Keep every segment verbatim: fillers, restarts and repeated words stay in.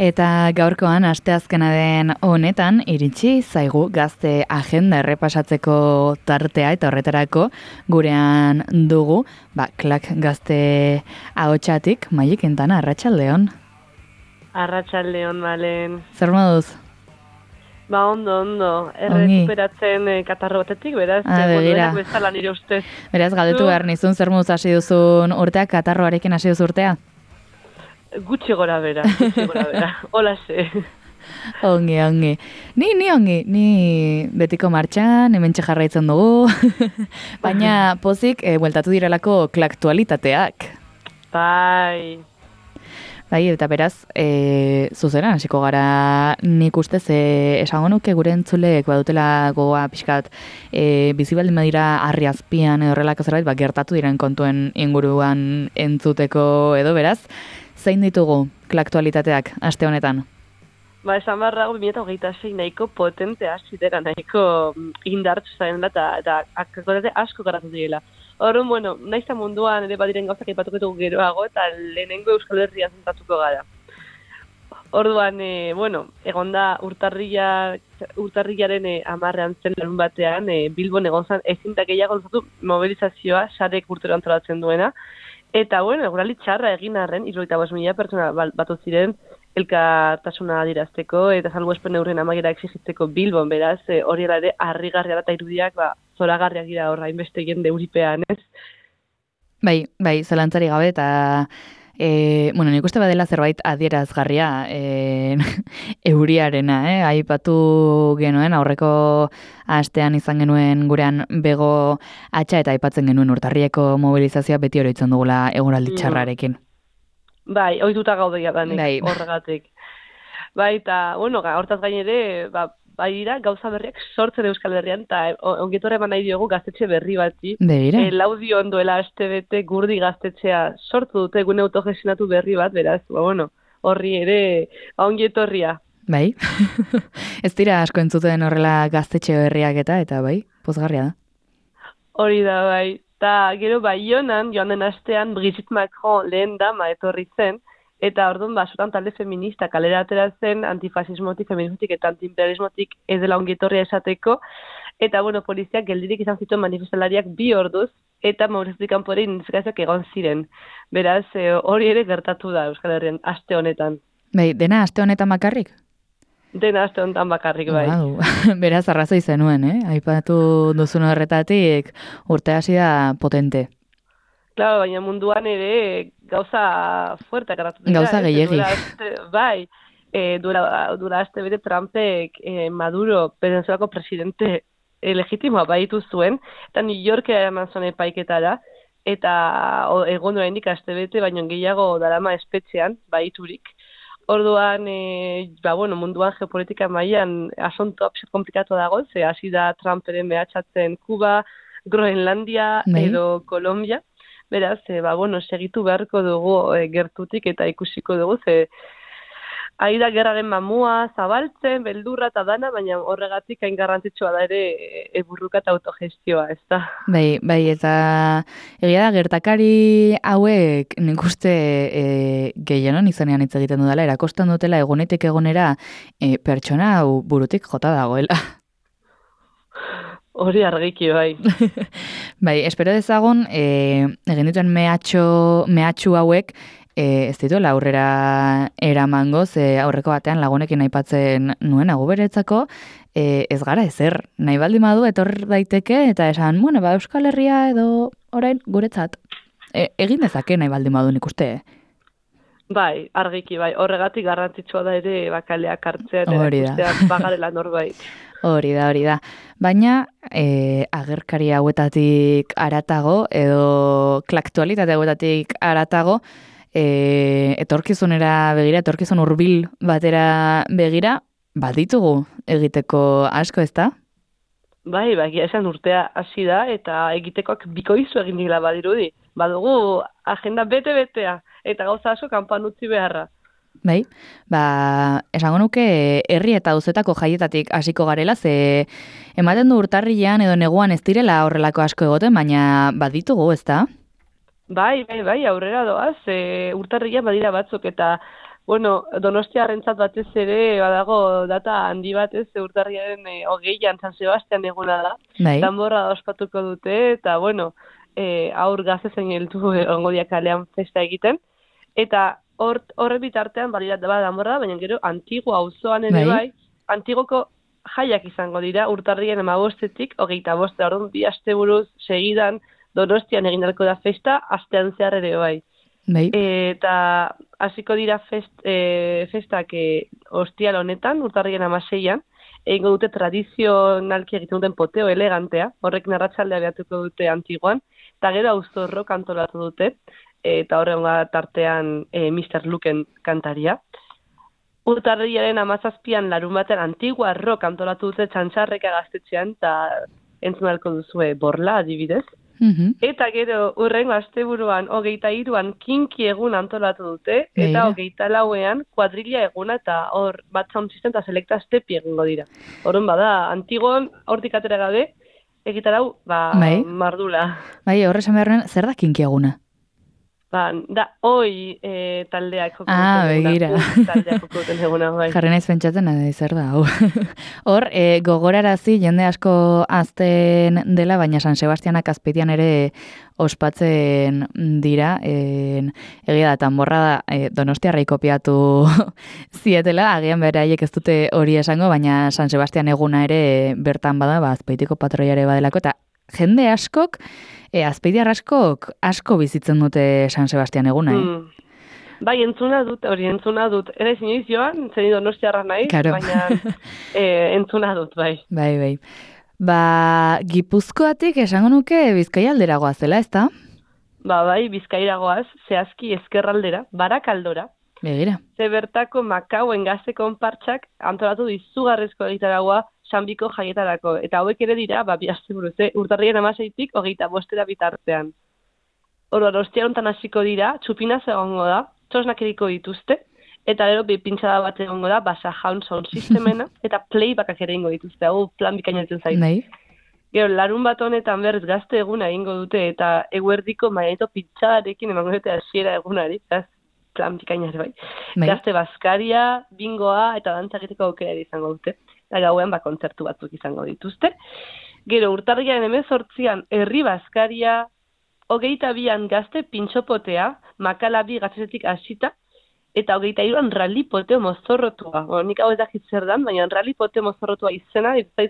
Eta gaurkoan asteazkena den honetan iritsi zaigu gazte agenda errepasatzeko tartea eta horretarako gurean dugu, ba, klak gazte ahotsatik Maili Quintana, arratsaldeon. Arratsaldeon, Malen. Zer moduz? Ba, ondo, ondo. Errekuperatzen eh, katarro batetik, beraz, ah, duenak bezala nire ustez. Beraz, galdetu behar nizun, zer moduz hasi duzun urtea, katarroarekin hasi duzu urtea? Gutxi gora bera, gutxi gora bera. Hola ze. Ongi, ongi. Ni, ni ongi, ni betiko martxan, hementxe jarraitzen dugu. Baina pozik, e, bueltatu direlako klaktualitateak. Bai. Bai, eta beraz, e, zuzeran, hasiko gara nik ustez, e, esango nuke gure entzuleek badutela gogoa pixkat e, bizibaldin badira harri azpian edo horrelako zerbait, ba, gertatu diren kontuen inguruan entzuteko edo beraz, zein ditugu klaktualitateak aste honetan? Ba, esan barrago, bi mila hogeita sei nahiko potentea zidera, nahiko indartsu zaren da, eta, eta akakotate asko garatu direla. Horren, bueno, naizta munduan ere badiren gauzak ipatuketugu geroago, eta lehenengo Euskal Herria zentatuko gara. Orduan, e, bueno, egonda urtarrila, urtarrilaren e, amarrean zen larun batean, e, Bilbon egon zan ezintak gehiago luzatu mobilizazioa, sarek urtero antolatzen duena, eta, bueno, eguraldi txarra egin arren, hirurogeita bost mila pertsona batu ziren, elkartasuna adirazteko eta salbuespen neurrien amaiera exigitzeko Bilbon, beraz, e, hori ere harrigarria eta irudiak, ba, zoragarriak dira horra, inbeste jende euripean, ez? Bai, bai, zelantzari gabe, eta e, bueno, nik uste badela zerbait adierazgarria e, euriarena, eh? Aipatu genuen, aurreko astean izan genuen gurean bego atxa eta aipatzen genuen urtarrieko mobilizazioa beti oroitzen dugula eguraldi txarrarekin. Bai, ohituta gaudeia danik, bai. Horregatik. Bai, eta, bueno, hortaz gain ere, ba, bai dira, gauza berriak sortzen Euskal Herrian, eta ongetorra eman nahi diogu gaztetxe berri bati. Begira. E, laudion duela aste bete gurdi gaztetxea sortu dute gune autogestionatu berri bat, beraz, ba, bueno, horri ere, ba, ongetorria. Bai, ez dira asko entzuten horrela gaztetxe berriak eta, eta bai, pozgarria da. Hori da, bai. Eta gero Baionan, joan den astean, Brigitte Macron lehen dama etorri zen, eta orduan basutan talde feminista kalera atera zen antifasismotik, feminismotik eta antiimperialismotik ez dela ongitorria esateko, eta bueno, poliziak geldirik izan zituen manifestalariak bi orduz, eta mobilizaziotik kanpore identifikazioak egon ziren. Beraz, hori ere gertatu da Euskal Herrian aste honetan. Bai, dena aste honetan bakarrik? Dena aste honetan bakarrik, bai. Wow. Beraz, arrazoi zenuen, eh? Aipatu duzun horretatik urte hasi da potente. Claro, baina munduan ere gauza fuerte garatu dira. Gauza gehiegi. Bai, e, dura, dura aste bete Trumpek e, Maduro, Venezuelako presidente e, legitimoa baitu zuen, eta New Yorkera eman zuen epaiketara, eta egon oraindik aste bete, baino gehiago darama espetxean, baiturik. Orduan, e, ba, bueno, munduan geopolitika mailan asunto apxet komplikatu dago, ze hasi da Trumperen mehatxatzen Kuba, Groenlandia Bai. edo Kolombia. Beraz, e, ba, bueno, segitu beharko dugu e, gertutik eta ikusiko dugu, ze ari da gerraren mamua zabaltzen, beldurra eta dana, baina horregatik hain garrantzitsua da ere e, burruka eta autogestioa, ez da? Bai, bai, eta egia da gertakari hauek nik uste e, gehienon izanean hitz egiten dudala, erakosten dutela egunetik egonera e, pertsona hau burutik jota dagoela. Hori argiki, bai. Bai, espero dezagun, e, egin dituen mehatxo, mehatxu hauek, e, ez dituela aurrera eramango, ze aurreko batean lagunekin aipatzen nuen aguberetzako, e, ez gara ezer, nahi baldin badu etor daiteke, eta esan, bueno, ba, Euskal Herria edo orain guretzat. E, egin dezake nahi baldin badu nik uste, eh? Bai, argiki, bai. Horregatik garrantzitsua da ere bakaleak hartzea eta Hori da. erakusteak bagarela norbait. Hori da, hori da. Baina, e, agerkari hauetatik aratago, edo klaktualitate hauetatik aratago, e, etorkizunera begira, etorkizun hurbil batera begira, baditugu egiteko asko, ez da? Bai, bai, esan urtea hasi da, eta egitekoak bikoizu egin dira badirudi. Badugu agenda bete-betea, eta gauza asko kanpan utzi beharra. Bai, ba, esango nuke herri eta auzetako jaietatik hasiko garela, ze ematen du urtarrilean edo neguan ez direla horrelako asko egoten, baina baditugu, ez da? Bai, bai, bai, aurrera doaz, e, urtarrilean badira batzuk, eta bueno, Donostiarrentzat batez ere, badago data handi bat ez, urtarriaren e, hogeian San Sebastian eguna da. Bai. Danborra ospatuko dute, eta bueno, e, aur gazte zein heldu egongo dia kalean festa egiten. Eta hor, horre bitartean, balirat da danborra, baina gero Antigua auzoan ere bai, bai Antigoko jaiak izango dira, urtarrien hamabostetik, hogeita boste, orduan bi asteburuz segidan Donostian egin dalko da festa, astean zehar ere bai. Bai. Eta hasiko dira fest, e, festak e, ostial honetan, urtarrien hamaseian, egingo dute tradizionalki egiten duten poteo elegantea, horrek narratxaldea behatuko dute Antiguan, eta gero auzorro kantolatu dute, eta horren tartean e, mister Luken kantaria. Urtarriaren hamazazpian larun batean Antigua rock antolatu dute Txantxarreka gaztetxean, eta entzunalko duzue Borla adibidez. Mm-hmm. Eta gero urrengo asteburuan hogeita hiruan kinki egun antolatu dute, eta Beira. hogeita lauean kuadrilla eguna eta hor bat sound system eta selekta stepi egingo dira. Horren bada, Antigon hortik atera gabe, egitarau, ba, bai. mardula. Bai, horre esan beharren, zer da kinki eguna? Ba, da, oi e, taldeak joko ah, duten begira. eguna. Taldeak joko duten eguna, bai. Jarri naiz pentsatzen, ade, zer da, hau. Hor, e, gogorarazi, jende asko azten dela, baina San Sebastianak azpeitian ere ospatzen dira, en, egia da, tanborra da, e, Donostiarrei kopiatu zietela, agian beraiek ez dute hori esango, baina San Sebastian eguna ere bertan bada, ba, azpeitiko patroiare badelako, eta jende askok, E, azpeidiar askok asko bizitzen dute San Sebastian eguna, eh? Mm. Bai, entzuna dut, hori entzuna dut. Ere inoiz joan, zen Donostiarra nahi, claro. baina e, entzuna dut, bai. Bai, bai. Ba, Gipuzkoatik esango nuke Bizkaia alderagoaz zela, ezta? Ba, bai, Bizkairagoaz, zehazki ezkerraldera, Barakaldora. Begira. Ze bertako Makauen gazte konpartsak antolatu dizugarrezko egitaragoa Sanbiko jaietarako. Eta hauek ere dira, ba, bi asteburuz, eh? Urtarrien hamaseitik hogeita bostera bitartean. Orduan, ostia hontan hasiko dira, txupinaz egongo da, txosnak eriko dituzte, eta gero bi pintxada bat egongo da, basa jaun sound sistemena, eta playbacak ere ingo dituzte, hau plan bikainatzen zaitu. Nahi. Gero, larun bat honetan berriz gazte eguna egingo dute, eta eguerdiko maiaito pintxadarekin emango dute hasiera egunari, ez plan bikainar bai. Nahi. Gazte bazkaria, bingoa, eta dantzaketeko aukera izango dute. Eta gauean ba, kontzertu batzuk izango dituzte. Gero, urtarriaren hemezortzian herri bazkaria, hogeita bian gazte pintxopotea, makalabi gaztetik hasita, eta hogeita hiruan rally poteo mozorrotua. Bueno, nik hau ez dakit zer dan, baina rally poteo mozorrotua izena, ez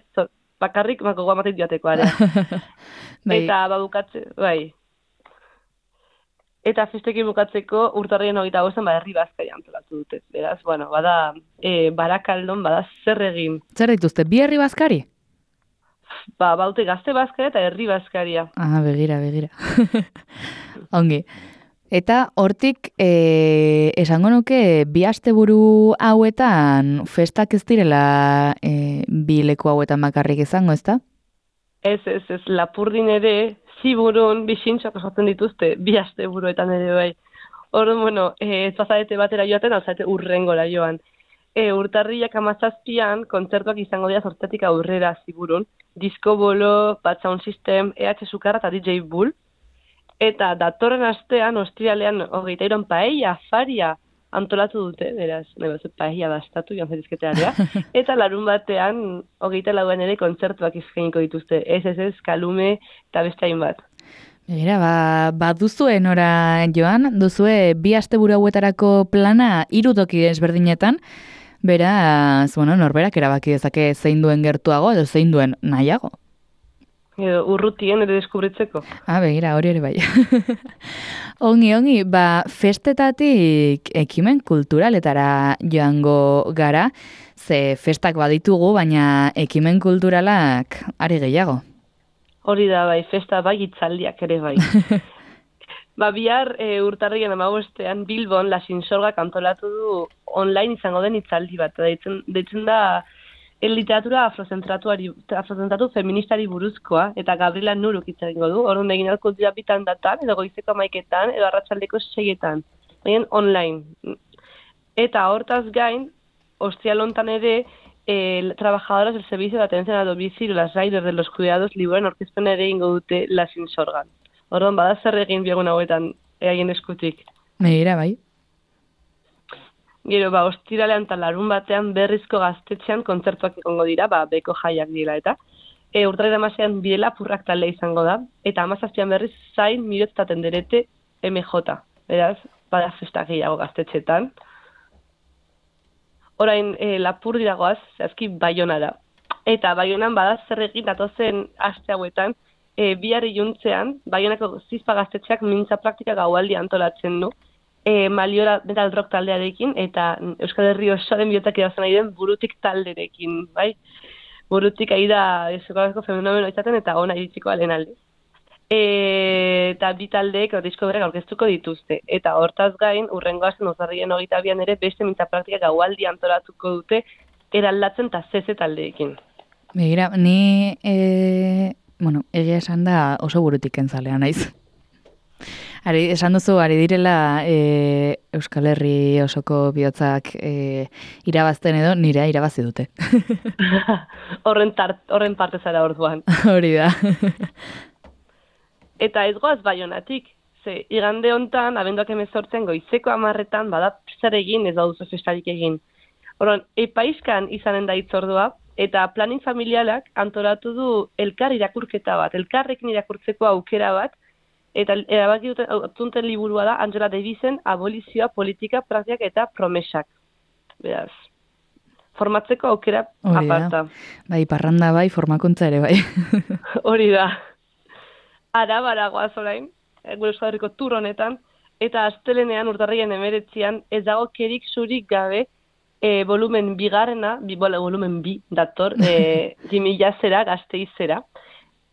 bakarrik mako guamatik joateko area. bai. Eta babukatze, bai. Eta festekin bukatzeko urtarrien hogeita bostean ba, herri bazkaria antolatu dute. Beraz, bueno, bada e, Barakaldon, bada zer egin. Zer dituzte, bi herri bazkari? Ba, baute gazte bazkaria eta herri bazkaria. Ah, begira, begira. Ongi. Eta hortik, e, esango nuke, bi asteburu hauetan festak ez direla e, bi leku hauetan bakarrik izango, ezta? Ez, ez, ez, Lapurdin ere, Ziburun, bisintxoak osatzen dituzte, bi asteburuetan ere bai. Orduan, bueno, ez bazarete batera joaten, alzarete urrengora joan. E, urtarriak hamazazpian, kontzertuak izango dira zortzatik aurrera Ziburun. Disco Bolo, Bat Sound System, E H Sukarra eta D J Bull. Eta datorren astean, ostiralean, hogeita iron paella, afaria, antolatu dute, beraz, nahi bat, paella bastatu, joan zaitizketearea. Eta larun batean, hogeita lauan ere kontzertuak izkeniko dituzte. Ez, ez, ez, Kalume eta beste hainbat. Begira, ba, ba duzue nora joan, duzue bi asteburu hauetarako plana hiru toki ezberdinetan, beraz, bueno, norberak erabaki dezake zein duen gertuago edo zein duen nahiago. Edo, urrutien ere deskubritzeko. Ah, begira, hori ere bai. Ongi, ongi, ba, festetatik ekimen kulturaletara joango gara, ze festak baditugu, baina ekimen kulturalak ari gehiago. Hori da, bai, festa bai, itzaldiak ere bai. Ba, bihar e, urtarrien hamabostean Bilbon La Sinsorgak antolatu du online izango den itzaldi bat. Deitzen, deitzen da el literatura afrozentratu feministari buruzkoa, eta Gabriela Nuruk hitz egingo du, orduan egin alko dira bitan datan, edo goizeko amaiketan, edo arratsaldeko seietan, egin online. Eta hortaz gain, ostialontan ere, eh, trabajadoras del servicio de atención a domicilio, las riders de los cuidados, liburuan orkezpen ere ingo dute La Sinsorgan. Orduan, bada zer egin biegun hauetan, eaien eskutik. Megira, bai. Gero, ba, ostiralean eta larun batean berrizko gaztetxean kontzertuak egongo dira, ba, beko jaiak dira eta. E, urtarri damasean bidela purrak talde izango da, eta amazazpian berriz zain mirot eta tenderete M J. Beraz, bada festa gehiago gaztetxetan. Orain, e, lapur diragoaz, zehazki Baionara. Eta Baionan bada zer egin datozen aste hauetan, e, bihar iluntzean, Baionako zizpa gaztetxeak mintza praktika gaualdi antolatzen du, e, Maliora metal rock taldearekin, eta Euskal Herri osoaren bihotak edazan nahi den burutik talderekin, bai? Burutik ari da eskolarako fenomeno izaten eta ona iritsiko alen alde. E, eta bi taldeek disko berrek aurkeztuko dituzte. Eta hortaz gain, urrengo asten uzarrien hogeita bian ere beste mintza praktika gaualdi antolatuko dute eraldatzen eta zeze taldeekin. Begira, ni, e, bueno, egia esan da oso burutik entzalea naiz. Ari, esan duzu, ari direla e, Euskal Herri osoko bihotzak e, irabazten edo nire irabazi dute. horren, tart, horren parte zara orduan. Hori da. Eta ez goaz Baionatik, ze igande hontan, abenduak hemezortzen goizeko hamarretan, bada zer egin ez dauduzu festarik egin. Horren, epaizkan izanen da itzordua, eta planning familialak antolatu du elkar irakurketa bat, elkarrekin irakurtzeko aukera bat, eta erabaki duten liburua da Angela Davisen Abolizioa, Politika, Praktikak eta Promesak. Beraz, formatzeko aukera Hori aparta. Da. Bai, parranda bai, formakuntza ere bai. Hori da. Arabara goaz orain, gure Euskal Herriko tur honetan, eta astelenean urtarrien emeretzian ez dago kerik zurik gabe e, volumen bigarrena, bi, volumen bi dator, e, Jimila zera, Gasteizera.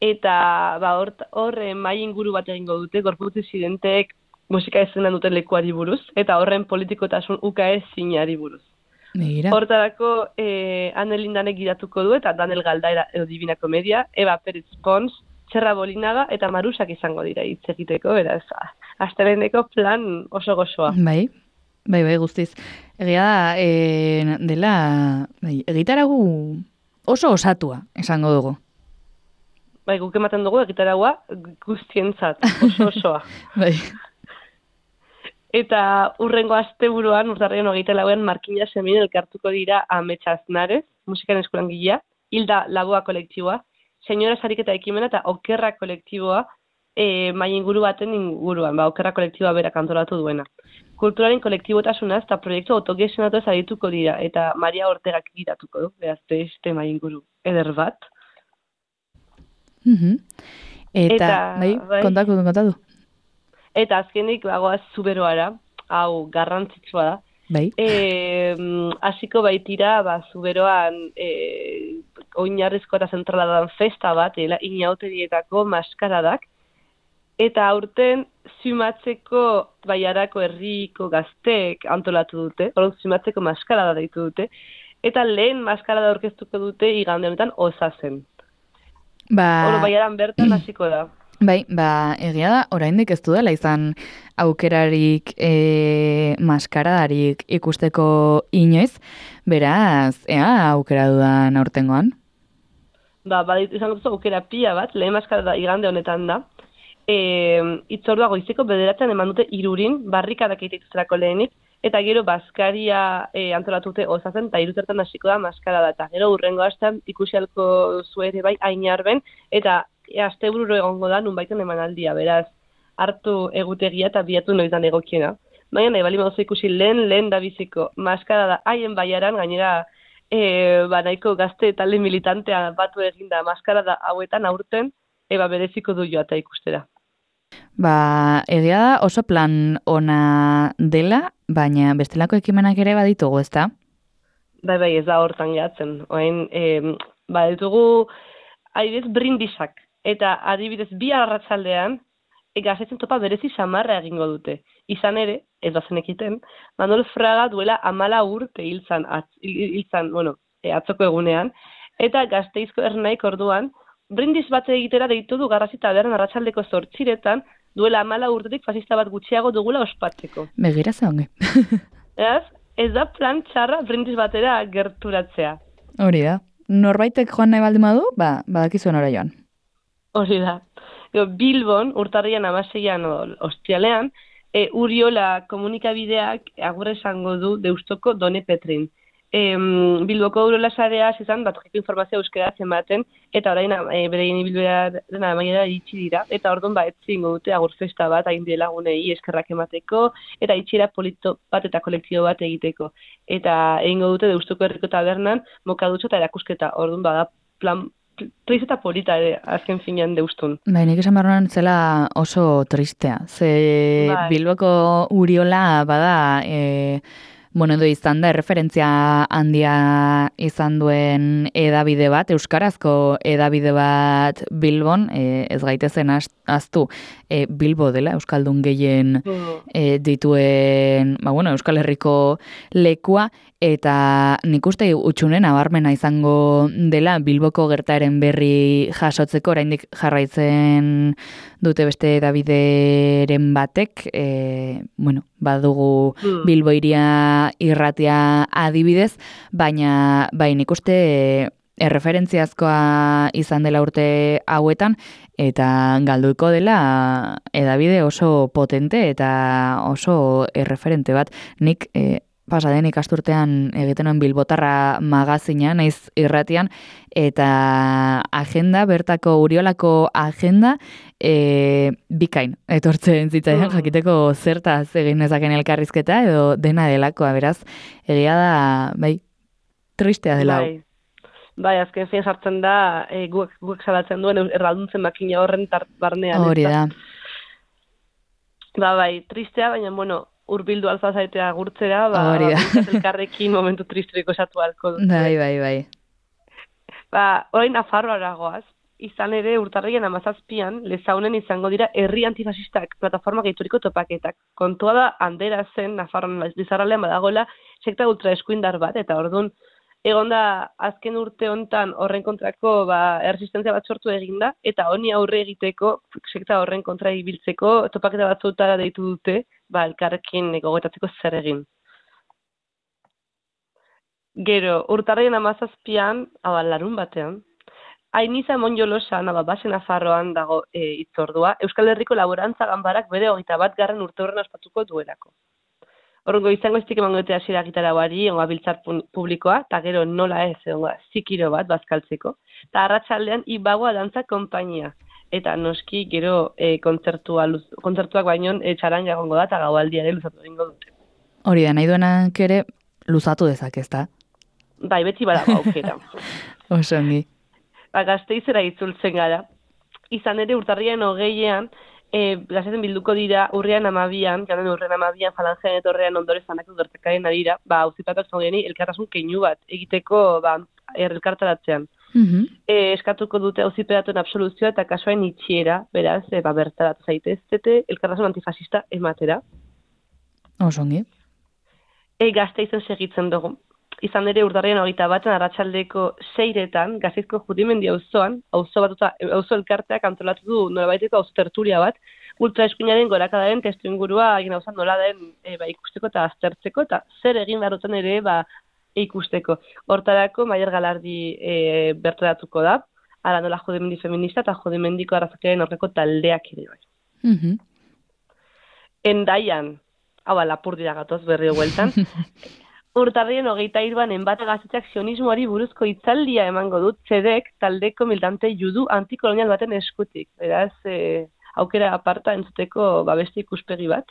Eta ba, hor, hor mai inguru bat egingo dute, gorputz disidenteek musika ezenan duten lekuari buruz, eta horren politikotasun ukaez zinari buruz. Begira. Hortarako e, Anelindanek gidatuko du, eta Daniel Galdaera edo Divina Komedia, Eva Pérez Pons, Txerra Bolinaga eta Marusak izango dira hitz egiteko, beraz, asteleneko plan oso gozoa. Bai, bai, bai, guztiz. Egia da, e, dela, bai, egitaragu oso osatua, esango dugu. Bai, guk ematen dugu egitaragua guztientzat, oso osoa. Bai. Eta urrengo asteburuan, urtarrien hogeita lauan, Markina Semin elkartuko dira Ametsa Aznarez, musikan eskolan gila, Hilda Laboa kolektiboa, Senyora Sariketa ekimena eta Okerra kolektiboa e, mai inguru baten inguruan, ba, Okerra kolektiboa berak antolatu duena. Kulturaren kolektibotasunaz eta proiektu autogestionatu ez adituko dira, eta Maria Ortegak gidatuko du, behaz beste mai inguru eder bat. Mm-hmm. Eta, eta, bai, bai, kontatu, kontatu. Eta azkenik, bagoaz Zuberoara, hau garrantzitsua da. Bai. E, hasiko baitira, ba, Zuberoan e, oinarrizko eta zentrala dan festa bat, ela, inauterietako maskaradak, eta aurten Zumatzeko Baiarako herriko gazteek antolatu dute, hori Zumatzeko maskarada deitu dute, eta lehen maskarada aurkeztuko dute igande honetan Osazen. Ba... Horo Baiaran bertan hasiko da. Bai, ba, egia da, oraindik ez du dela izan aukerarik e, maskaradarik ikusteko inoiz, beraz, ea aukera dudan aurtengoan? Ba, badit izan duzu aukera pila bat, lehen maskarada igande honetan da. E, itzordua goizeko bederatzen eman dute irurin, barrikadak egituzterako lehenik, eta gero Baskaria e, antolatute Osazen, eta iruzertan hasiko da maskarada, eta gero urrengo astean ikusialko zuere bai Ainarben, eta e, astebururo egongo da nunbaiten emanaldia, beraz, hartu egutegia eta biatu noitan egokiena. Baina nahi bali maduzu ikusi lehen, lehen da biziko maskarada haien Baiaran, gainera e, ba, nahiko gazte talde militantea batu eginda maskarada hauetan aurten, eba bereziko du joata ikustera. Ba, egia da oso plan ona dela, baina bestelako ekimenak ere baditugu, ezta? Bai, bai, ez da hortan gehatzen. Oain, e, ba, ditugu adibidez brindisak. Eta adibidez bi arratsaldean e, gazetzen topa berezi samarra egingo dute. Izan ere, ez da zenekiten, Manuel Fraga duela amala urte hiltzan, hiltzan, bueno, e, atzoko egunean, eta Gasteizko Ernaik orduan, brindis bat egitera deitu du Garrasi tabernan arratsaldeko zortziretan, duela amala urtetik fasista bat gutxiago dugula ospatzeko. Begira ze onge. Ez, ez da plan txarra brindis batera gerturatzea. Hori da. Norbaitek joan nahi baldin badu, ba, badakizuen ora joan. Hori da. Bilbon, urtarrian amaseian ostialean, e, Uriola komunikabideak agurra esango du Deustoko Done Petrin. E, Bilboko Uriola sarea izan bat informazioa euskaraz ematen, eta orain e, bereien ibilbidearen amaiera itxi dira, eta orduan ba etzingo dute agur festa bat hain lagunei eskerrak emateko, eta itxiera polito bat eta kolektibo bat egiteko. Eta egingo dute Deustoko herriko tabernan mokadutxo eta erakusketa, orduan bada plan triste eta polita ere, azken finean Deustun. Bai, nik esan barruan zela oso tristea. Ze Bai. Bilboko Uriola bada, e, bueno, edo izan da, referentzia handia izan duen edabide bat, euskarazko edabide bat Bilbon, e, ez gaitezen aztu, e, Bilbo dela, euskaldun gehien e, dituen, ba, bueno, Euskal Herriko lekua, eta nik uste utxunen abarmena izango dela Bilboko gertaeren berri jasotzeko, oraindik jarraitzen dute beste edabideren batek, e, bueno, badugu mm. Bilbo iria irratia adibidez, baina bai nik uste erreferentziazkoa izan dela urte hauetan, eta galduko dela edabide oso potente eta oso erreferente bat. Nik e, pasaden ikasturtean egiten nuen Bilbotarra magazina, naiz irratian, eta agenda, bertako Uriolako agenda, e, bikain, etortzen zitzaidan, jakiteko zertaz egin nezaken elkarrizketa, edo dena delakoa, beraz, egia da, bai, tristea dela. Bai, bai azken fin sartzen da, e, guek, guek salatzen duen erralduntzen makina horren tart barnean. Hori da. Ba, bai, tristea, baina, bueno, urbildu alfa zaitea gurtzera, ba, ba elkarrekin momentu tristriko esatu alko dut. Bai, bai, bai. Ba, orain Nafarroara goaz, izan ere urtarrien amazazpian, Lezaunen izango dira herri antifasistak plataforma gaituriko topaketak. Kontua da, handera zen Nafarroan Lizarraldean badagoela sekta ultraeskuindar bat, eta orduan, egon da azken urte hontan horren kontrako ba, erresistentzia bat sortu eginda, eta honi aurre egiteko, sekta horren kontra ibiltzeko, topaketa batzutara deitu dute, ba, elkarrekin gogetatzeko zer egin. Gero, urtarrien amazazpian, hau larun batean, Ainiza Monjolosan, hau basen Nafarroan dago e, itzordua, Euskal Herriko Laborantza Ganbarak bere hogeita bat garren urte horren ospatuko duelako. Horrengo izango iztik emango dute hasiera gitarauari, ongoa biltzar publikoa, eta gero nola ez, ongoa zikiro bat bazkaltzeko. Eta arratsaldean ibagoa dantza konpainia. Eta noski gero e, kontzertua, luz, kontzertuak baino e, txaranga egongo da, eta gaualdiare luzatu egingo dute. Hori da, nahi duenak ere luzatu dezak, ez da? Bai, beti badago aukera. Oso ongi. Ba, Gasteizera itzultzen gara. Izan ere urtarrian hogeian, E, Gazeten bilduko dira urrian amabian, garen urrian amabian, falangean etorrean ondore zanako gertakaren adira, ba, auzipatak zaudeni elkartasun keinu bat, egiteko, ba, elkartaratzean. Mm-hmm. E, eskatuko dute auziperatuen absoluzioa eta kasuain itxiera, beraz, e, ba, bertaratu zaiteztete, elkartasun antifasista ematera. Osongi. E, Gasteizen segitzen dugu. Izan ere urtarrian hogeita baten arratsaldeko seiretan, Gasteizko Judimendi auzoan, auzo batuta, auzo elkarteak antolatu du nolabaiteko auzo tertulia bat, ultraeskuinaren gorakadaren testu ingurua egin hau nola den e, ba, ikusteko eta aztertzeko, eta zer egin beharroten ere ba, ikusteko. Hortarako Maier Galardi e, bertaratuko da, ara nola Judimendi feminista eta Judimendiko arrazakaren horreko taldeak ere bai. Mm-hmm. Endaian, hau Lapurdira gatoz berri hueltan, urtarrien hogeita hiruan enbate gaztetxeak sionismoari buruzko hitzaldia emango dut zedek taldeko militante judu antikolonial baten eskutik. Beraz, e, aukera aparta entzuteko babeste ikuspegi bat.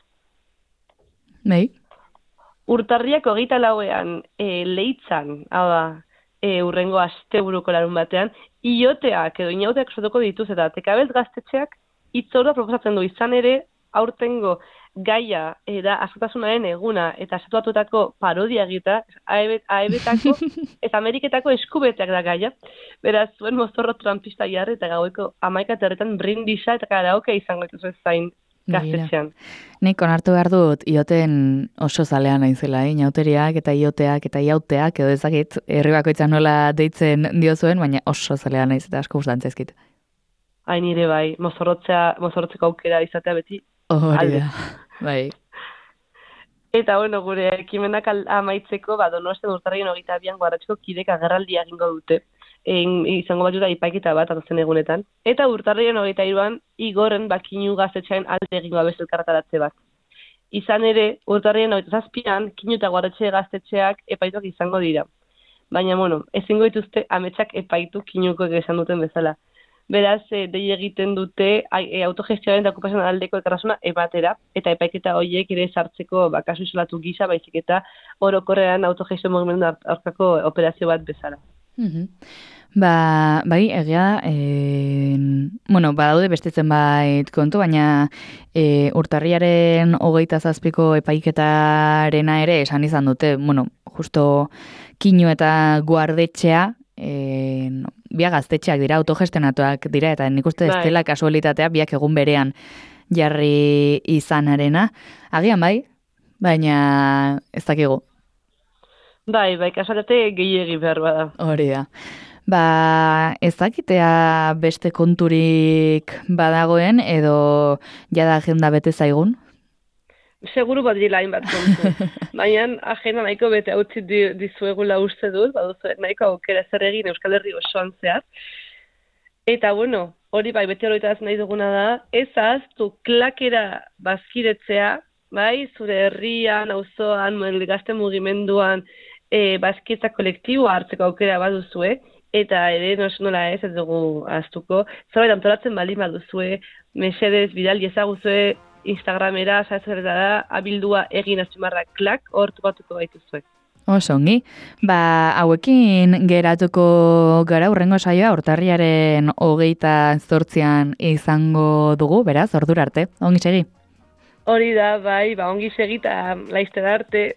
Nei? Urtarriak hogeita lauean e, leitzan, hau da, e, urrengo asteburuko larun batean, ioteak edo inauteak sortuko dituz eta tekabelt gaztetxeak hitzordua proposatzen du izan ere aurtengo gaia da askatasunaren eguna eta estatuatutako parodia egita, aebetako eta Ameriketako eskubeteak da gaia. Beraz, zuen mozorro trumpista jarri eta gaueko hamaika terretan brindisa eta karaoke izango dituzu zain gaztetxean. Nik onartu behar dut ioten oso zalean naizela, eh? Inauteriak eta ioteak eta iauteak edo ezakit herri bakoitza nola deitzen diozuen, baina oso zalean naiz eta asko gustatzen zaizkit. Hain nire bai, mozorrotzea, mozorrotzeko aukera izatea beti. Hori da, bai. Eta, bueno, gure ekimenak amaitzeko, ba, Donostian urtarrien hogeita bian guarratxeko kidek agerraldia egingo dute. En, izango bat juta ipaiketa bat, atozen egunetan. Eta urtarrien hogeita iruan, igorren bakinu gaztetxain alde egingo abez elkarretaratze bat. Izan ere, urtarrien hogeita zazpian, Kinu eta Guardetxe gaztetxeak epaituak izango dira. Baina, bueno, ezingo dituzte ametsak epaitu Kinukoek esan duten bezala. Beraz, e, dei egiten dute e, autogestioaren eta okupazioan aldeko elkartasuna ebatera, eta epaiketa horiek ere sartzeko ba, kasu isolatu gisa, baizik eta orokorrean autogestio mugimendu aurkako operazio bat bezala. Mm-hmm. Ba, bai, egia, e, bueno, badaude beste zenbait kontu, baina e, urtarriaren hogeita zazpiko epaiketarena ere esan izan dute, bueno, justo Kinu eta Guardetxea, e, no, biak gaztetxeak dira, autogestionatuak dira, eta nik uste ez dela kasualitatea biak egun berean jarri izanarena. Agian bai, baina ez dakigu. Bai, bai, kasualitate gehiegi behar bada. Hori da. Ba, ez dakitea beste konturik badagoen, edo jada agenda bete zaigun? Seguru bat dira hainbat kontu. Baina agenda nahiko bete hautzi dizuegula uste dut, baduzu nahiko aukera zer egin Euskal Herri osoan zehar. Eta bueno, hori bai bete horietaz nahi duguna da, ez ahaztu klakera bazkiretzea, bai, zure herrian, auzoan, gazte mugimenduan, e, bazkitza kolektiboa hartzeko aukera baduzue, eta ere nola ez ez dugu ahaztuko, zerbait antolatzen baldin baduzue, mesedez bidal ezaguzue Instagramera, saezerretara, abildua egin azpimarra klak, hor topatuko gaituzue. Oso ongi. Ba, hauekin geratuko gara urrengo saioa urtarriaren hogeita zortzian izango dugu, beraz, ordura arte. Ongi segi? Hori da, bai, ba, ongi segi eta laizter arte.